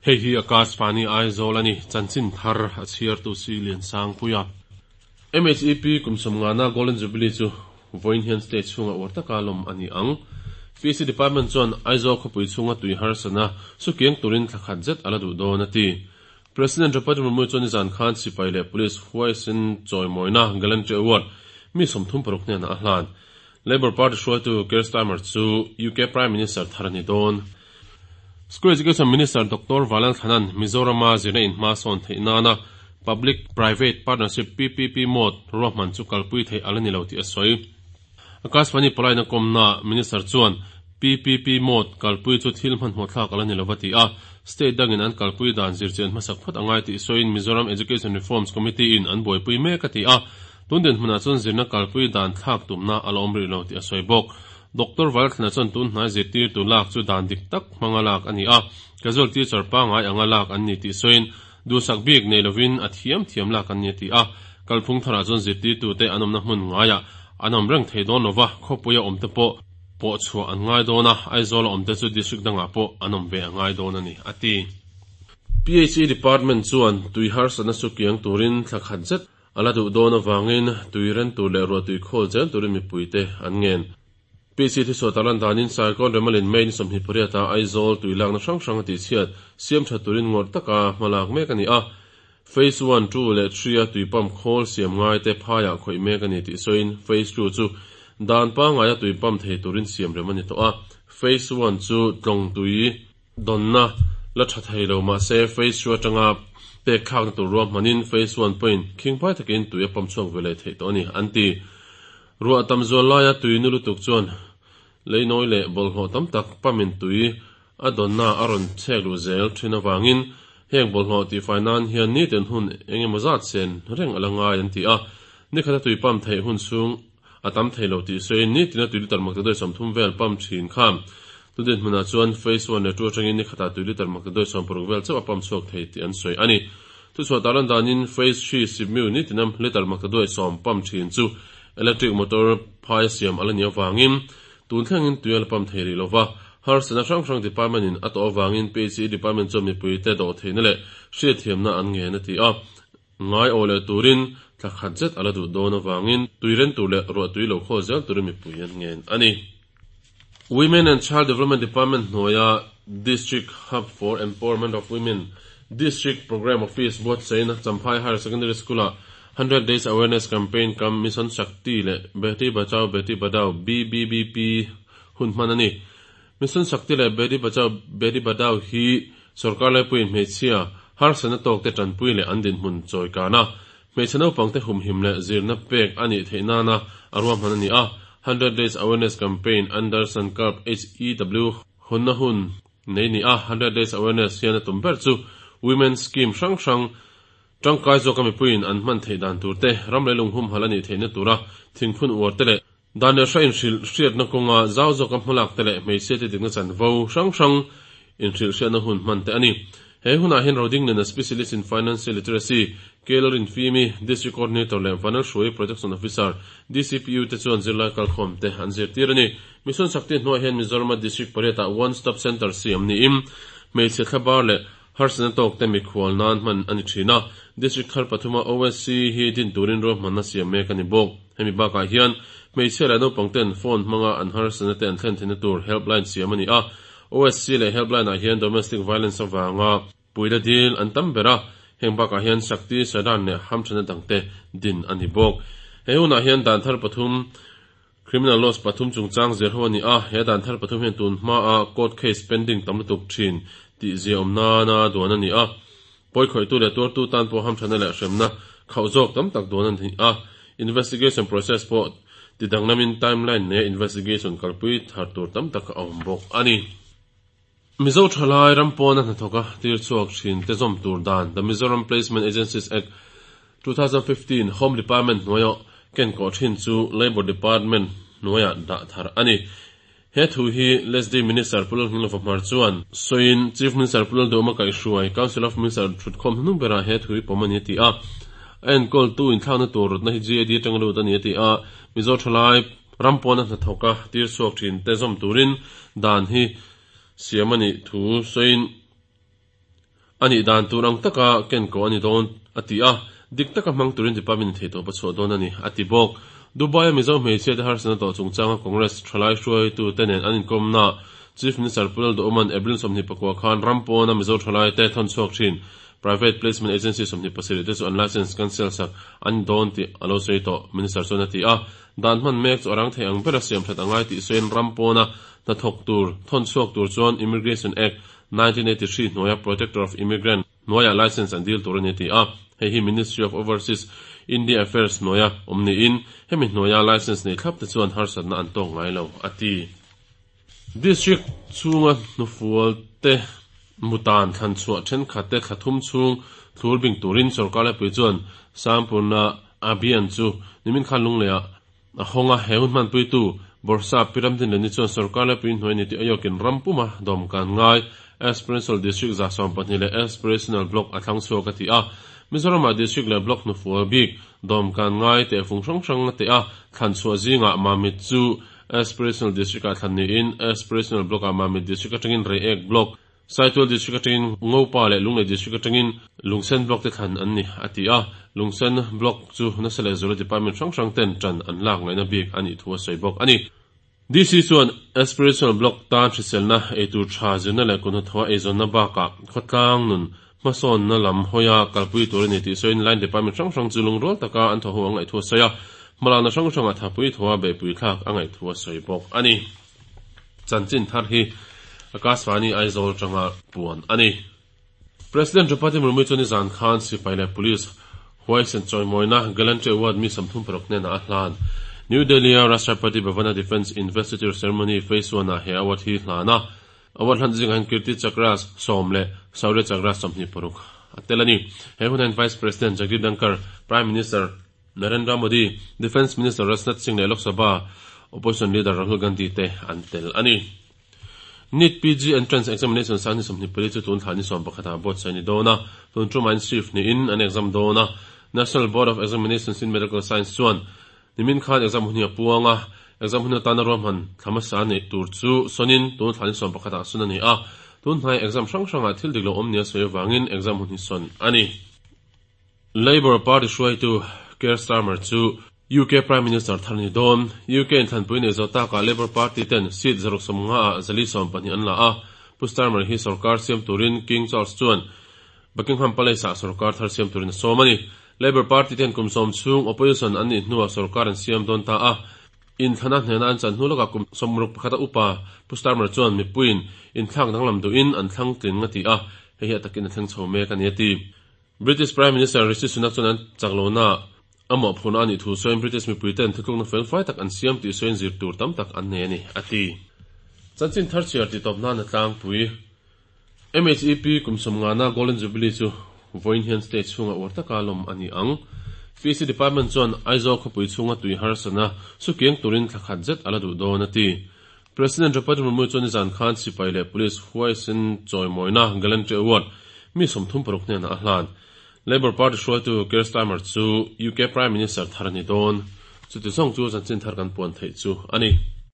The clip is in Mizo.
Hei hi Akashvani Aizawl a ni, chanchin thar a chhiartu si Liansangpuia. MHEP kum sawmngana Golden Jubilee chu vawiin hian state chhunga uar taka lawm a ni ang. PC Department chuan Aizawl khawpui chhunga tui harsatna sukiang turin thla khat zet a la duh dawn a ti. President Draupadi Murmu chuan nizan khan sipai leh police huaisen chawimawina Gallantry Award mi 36 hnenah a hlan. Labour Party hruaitu Keir Starmer chu UK Prime Minister thar a ni dawn. School Education Minister Doctor Vanlalthlana'n Mizorama zirna in hma sawn theih nana Public Private Partnership, PPP, mode ruahman chu kalpui theih a la ni lo tih a sawi. Akashvani pawlaina kawmnaah Minister chuan PPP mode kalpui chu thil hmanhmawh thlak a la ni lo va ti a, state dangin an kalpui dan zirchian hmasak phawt a ngai tih sawiin Mizoram Education Reforms Committee in an buaipui mek a ti a, tun dinhmunah chuan zirna kalpui dan thlak tumna a la awm rih lo tih a sawi bawk. Doctor Valthlana chuan tun hnai zirtirtu lak chu dan dik tak hmanga lak a ni a, casual teacher pangngai anga lak an ni tih sawiin duhsak bik nei lovin a thiam thiam lak an ni a ti a. Kalphung tharah chuan zirtirtute an awmna hmun ngaiah an awm reng thei dawn lova, khawpuia awmte pawh pawh chhuah an ngai dawn a, Aizawla awmte chu district dangah pawh an awm ve a ngai dawn a ni, a ti. PHE Department chuan tui harsatna chu kiang turin thla khat zet A la duh dawn avangin tui ren tur leh ruah tui khawl zel turin mipuite an ngen. PC thusawi tarlan danin Saikawn Remalin May ni 28 ah Aizawl tui lakna hrang hrang a tihchhiat siam tha turin ngawrh taka hma lak mek a ni a. Phase one, two leh three a tui pump khawl siam ngaite phaiah khawih mek a ni tih sawiin Phase two chu dan pangngaia tui pump thei turin siam rem a ni tawh a. Phase one chu tlawng tui Dawnna la tha thei lo mahse phase two atanga pek thlakna tur ruahmanin phase one pawhin khingpai takin tui a pump chhuak ve leh theih tawh a ni, an ti. Ruah tam zual laia tui nu lutuk chuan leinawi leh bawlhhlawh tam tak pumpin tui a dawnna a rawn chhek luh zel thin avangin heng bawlhhlawh tihfai nan hian nitin hun eng emaw zat sen reng a la ngai an ti a. Nikhata tui pump theih hun chhung a tam thei lo tih sawiin nitina tui litre maktaduai 30 vel pump thin kha Tudin hmunah chuan Phase one leh two atangin ni khatah tui litre maktaduai 60 vel chauh a pump chhuak thei tih an sawi a ni. Thuchhuah tarlan danin Phase three Sipmiu nitina litre maktaduai 10 pump thin chu electric motor phai a siam a la nih avangin tun thlengin tui a la pump thei rih lo va, harsatna hrang hrang department in a tawh avangin PHE department chuan mipuite dawhtheihna leh hriatthiamna an ngen a ti a. Ngai aw leh turin thla khat zet a la duh dawn avangin tui ren tur leh ruah tui lo khawl zel turin mipui an ngen a ni. Women and Child Development Department hnuaia District Hub for Empowerment of Women District Programme Office buatsaihna Champhai Higher Secondary School-ah Hundred Days Awareness Campaign kam Mission Shakti leh Beti Bachao Beti Padhao, BBBP, hun hman a ni. Mission Shakti leh Beti Bachao Beti Padhao hi Sorkar laipuiin hmeichhia harsatna tawkte tanpui leh an dinhmun chawi kana hmeichhe naupangte humhim leh zirna pek a nih theih nana a ruahman a ni a. Hundred Days Awareness Campaign under Sankalp HEW hawnna hun nei ni a. Hundred Days Awareness hian a tum ber chu Women Scheme hrang hrang tangkai zawka mipuiin an hman theih dan tur te, ram leh lunghumhal a nih theihna tura thingphun uar te leh Dan leh hra inhrilh hriatna kawnga zau zawka hmalak te leh hmeichhiate dikna chanvo hrang hrang inhrilh hriatna hun hman te a ni. He hunah hian Rodingliana Specialist in Financial Literacy, K Lalrinfimi, District Coordinator leh Vanal Hruai Protection Officer, DCPU te chuan zirlai kalkhawm te an zirtir a ni. Mission Shakti hnuaiah hian Mizorama District pariatah One Stop Centre siam niin hmeichhe thlabar leh Harsatna tawkte mikhual nan hman a ni thin a, District thar pathuma OSC hi din turin ruahmanna siam mek a ni bawk. Hemi bakah hian hmeichhia leh naupang ten phone hmanga an harsatna te an thlen theihna tur helpline siam a ni a, OSC leh helpline ah hian domestic violence avanga puila dil an tam ber a, heng bakah hian Shakti Sadan leh hamthana dangte din a ni bawk. He hunah hian dan thar pathum Criminal laws pathum chungchang zir ho a ni a, he dan thar pathum hian tun hmaa court case pending tam lutuk thin tih ziaawm nana duan a ni a. Pawikhawihtu leh tuartu tan pawh hamthana leh hremna khauh zawk tam tak duan a ni a. Investigation process pawh ti danglamin timeline neia investigation kalpui thar tur tam tak a awm bawk a ni. Mizo thalai ram pawna hnathawka tir chhuak thin te zawm tur dan The Mizoram Placement Agencies Act, 2015 Home Department hnuaia ken kawh thin chu Labour Department hnuaiah dah thar a ni. He thu hi LSD Minister Pu Lalnghinglova Hmar chuan sawiin Chief Minister Pu Lalduhma kaihhruai Council of Minister thutkhawm hnuhnung berah he thu hi pawm a ni a ti a. A enkawltu inthlakna tur rawtna hi GAD atanga lut a ni a ti a. Mizo thalai Ram pawna hnathawka tir chhuak thin te zawm turin dan hi siam a nih thu sawiin. A nih dan tur ang taka ken ko a ni dawn, a ti a. Dik taka hmang turin department in theihtawp a chhuah dawn a ni, a ti bawk. Dubai-a Mizo hmeichhia te harsatna tawh chungchanga Congress thalai hruaitute nen an inkawmnaah Chief Minister Pu Lalduhawma'n April 24 khan ram pawna Mizo thalaite thawn chhuak thin Private Placement Agency 27 te chu an licence cancel sak an ni dawn tih a lo sawi tawh, Minister chuan a ti a. Dan hman mek chu a rang thei ang bera siam that a ngai tih sawiin ram pawna hnathawk tur thawn chhuak tur chuan Immigration Act 1983 hnuaia Protector of Immigrant hnuaiah licence an dil tur a ni a ti a. Hei hi Ministry of Overseas India Affairs hnuaia awm niin hemi hnuaia licence nei thlap te chuan harsatna an tawk ngai lo, a ti. District chhunga hnufual te mutan thlan chhuah thenkhat te thla thum chhung thlur bing turin sorkar lepui chuan Sampurna Abhiyan chu nimin khan Lungleiah a hawng a, he hun hmanpuitu Bawrhsap Pi Ramdinleni chuan sorkar lepui hnuai ni tih ayawkin ram puma dawm kan ngai Aspirational District 12 leh Aspirational Block a thlang chhuak a ti a. Mizoramah District leh Block hnufual bik dawm kan ngai tehfung hrang hrang a teh a, thlan chhuah zingah Mamit chu Aspirational District-ah thlan niin Aspirational Block-ah Mamit District atangin Reiek Block, Saitual District atangin Ngopa leh Lunglei District atangin Lungsen Block te thlan an ni, a ti a. Lungsen Block chu nasa leh zuala department hrang hrang ten tan an lak ngaihna bik a nih thu a sawi bawk a ni. DC chuan Aspirational Block tan hriselna, eitur tha zirna leh kuthnathawha eizawnna bakah khawtlang nun hmasawnna lam hawia kalpui tur a ni tih sawiin line department hrang hrang chu lungrual taka an thawhho a ngaih thu a sawi a, hmalakna hrang hrangah thapui thawha beihpui thlak a ngaih thu a sawi bawk a ni. Chanchin thar hi Akashvani Aizawl atanga puan a ni. President Draupadi Murmu chuan nizan khan sipai leh police huaisen chawimawina Gallantry Award mi 36 hnenah a hlan. New Delhi-a Rashtrapati Bhavan-a Defence Investiture Ceremony Phase One-ah he award hi hlan a. Award hlan zingah hian Kirti Chakra sawm leh Shaurya Chakra 26 a tel a ni. He hunah hian Vice President Jagdeep Dhankhar, Prime Minister Narendra Modi, Defence Minister Rajnath Singh leh Lok Sabha Opposition Leader Rahul Gandhi te an tel a ni. NEET PG Entrance Examination sang ni 24 chu tun thla ni 11 ah buatsaih a ni dawn a, tun tumah in shift niin an exam dawn a. National Board of Examinations in Medical Science chuan nimin khan exam hun hi a puang a, exam hun atana ruahman thla hmasa neih tur chu sawnin tun thla ni 11 ah sawn a ni a, tun hnai exam hrang hrangah thil dik lo awm nia sawi avangin exam hun hi sawn a ni. Labour Party hruaitu Keir Starmer chu UK Prime Minister thar a ni dawn. UK in thlanpui nei zawh takah Labour Party ten seat 150 ah 420 an la a. Pu Starmer hi sorkar siam turin King Charles chuan Buckingham Palace ah sorkar thar siam turin a sawm a ni. Labour Party ten kum sawm chhung opposition an nih hnuah sorkar an siam dawn ta a. Inthlana hnena an chan hnu lawkah kum 61 a upa Pu Starmer chuan mipuiin inthlak danglam duhin an thlang tling a ti a, hei hi a takin a thleng chho mek a ni a ti. British Prime Minister Rishi Sunak chuan an chak lohna a mawhphurhna a nih thu sawiin British mipuiten thutlukna fel fai tak an siam tih sawiin zir tur tam tak an nei a ni, a ti. Chanchin thar chhiar tih tawp nan a tlangpui. MHEP kum sawmngana Golden Jubilee chu vawiin hian state chhunga uar taka lawm a ni ang. PC Department chuan Aizawl khawpui chhunga tui harsatna sukiang turin thla khat zet a la duh dawn a ti. President Draupadi Murmu chuan nizan khan sipai leh police huaisen chawimawina Gallantry Award mi 36 hnenah a hlan. Labour Party hruaitu Keir Starmer chu UK Prime Minister thar a ni dawn. Chuti zawng chu chanchin thar kan puan theih chu a ni.